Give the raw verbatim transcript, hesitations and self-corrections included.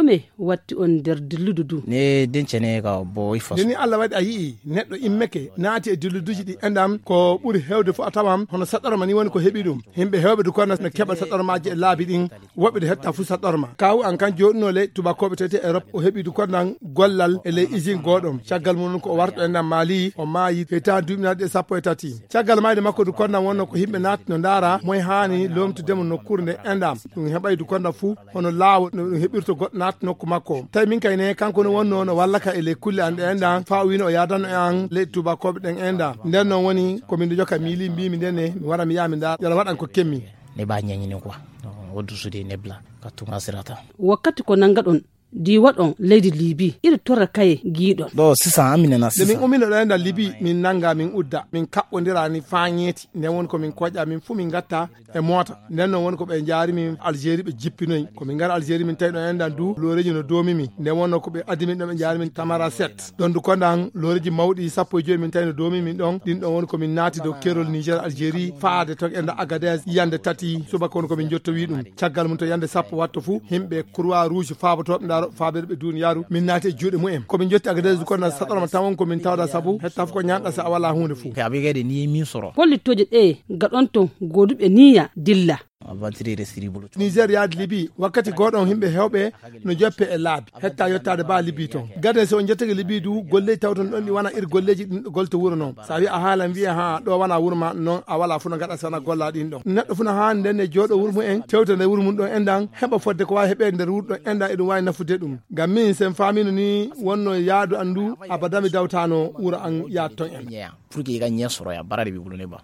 Ɓe watti on nder dilludu du. Ne den cene ka bo i faso. Nde ni Allah waɗi a yi'i neɗɗo immeke naati e dilluduji ɗi enɗam, ko ɓuri heewde fof a tawan hono saɗɗorma ni woni ko heɓi ɗum. Yimɓe heewɓe du kono no keɓa saɗɗormaaji e laabi ɗin. Woɓɓe ɗo hetta fuu saɗɗorma. Kaawu an kan jooɗunoo ley tubakooɓe tete Erop, o heɓi du kono nan gollal e ley usine gooɗo. Caggal mum ko o warto enɗam Mali, o maayi hitaande duuɓi naati e sappo e tati. Caggal mayde makko du kono nan wonno ko yimɓe naati no ndaara moy haani loomtudemo nokkuure nde enɗam. Ɗum heɓay du kono nan fuu hono laawo no ɗum heɓirto goɗɗo naata nokku makko. Tawi min kay ne kanko no wonno no walla ka e ley kulle an ɗe enɗam faa o wiino o yaadanno e an ley tubakooɓe ɗen enɗam. Nden noon woni ko min joka miili mbiimi nden ne mi wara mi yaha mi ndaara yala waɗan ko kemmi. Ne ba ñañini quoi. Woddu sudi nebla ka tuma sirata. Wakkati ko nanngaɗon diiwaɗon leydi Libi, iɗo torra kaye giiɗon. Ɗo sisa amine na nde min sisa umino ɗo enɗan Libi min nannga min udda min kaɓɓondirani faa ñeeti. Nden woni ko min koƴa min fuu min ngatta e moota. Nden noon woni ko ɓe njaari min Algérie ɓe jippinoyi ko min ngara Algérie min tawi ɗo enɗan du looreji no doomi min. Nden wonno ko ɓe addi min ɗo ɓe njaari min Tamara sept. Ɗon du kondan looreji mawɗi sappo e joyi min tawi no doomi min ɗon. Ɗin ɗon woni ko min naati dow kerol Niger Algérie faade ton e nder Agadez yande tati subaka woni ko min jottowi ɗum. Caggal mum to yande sappo watto fuu yimɓe Croix Rouge faabotooɓe ndaaro faabeede ɓe duniyaaru min naati e juuɗe mumen. Ko min jotti Agadez du kondan saɗorma tan won ko min tawda sabu hetta fof ko ñaanɗa so a wala huunde fuu. Pe abigede ni min soro. Pollitooje ɗe gaɗon ton gooduɓe niya dilla. Niger yaade Libi wakkati gooɗon yimɓe heewɓe no joppe e laabi hetta yottaade ba Libi ton. Gade so on jottake Libi du golleeji tawton ɗon ɗi wona ir golleeji ɗin ɗo golte wuro noon. So a wi a haalan wiye ha ɗo wona wuro ma noon a wala fuu no gaɗa sana golla ɗin ɗon. Neɗɗo fuu no haani nden ne jooɗo wuro mum en tewta nder wuro mum ɗon enɗan heɓa fodde ko waawi heɓeede nder wuro ɗon enɗan eɗum waawi nafude ɗum. Ngam min sen faamino ni wonno yaadu an du abada mi dawtano wuro an yaad ton en. Pour que i ka ñeesoroya barade ɓe ɓulune ba.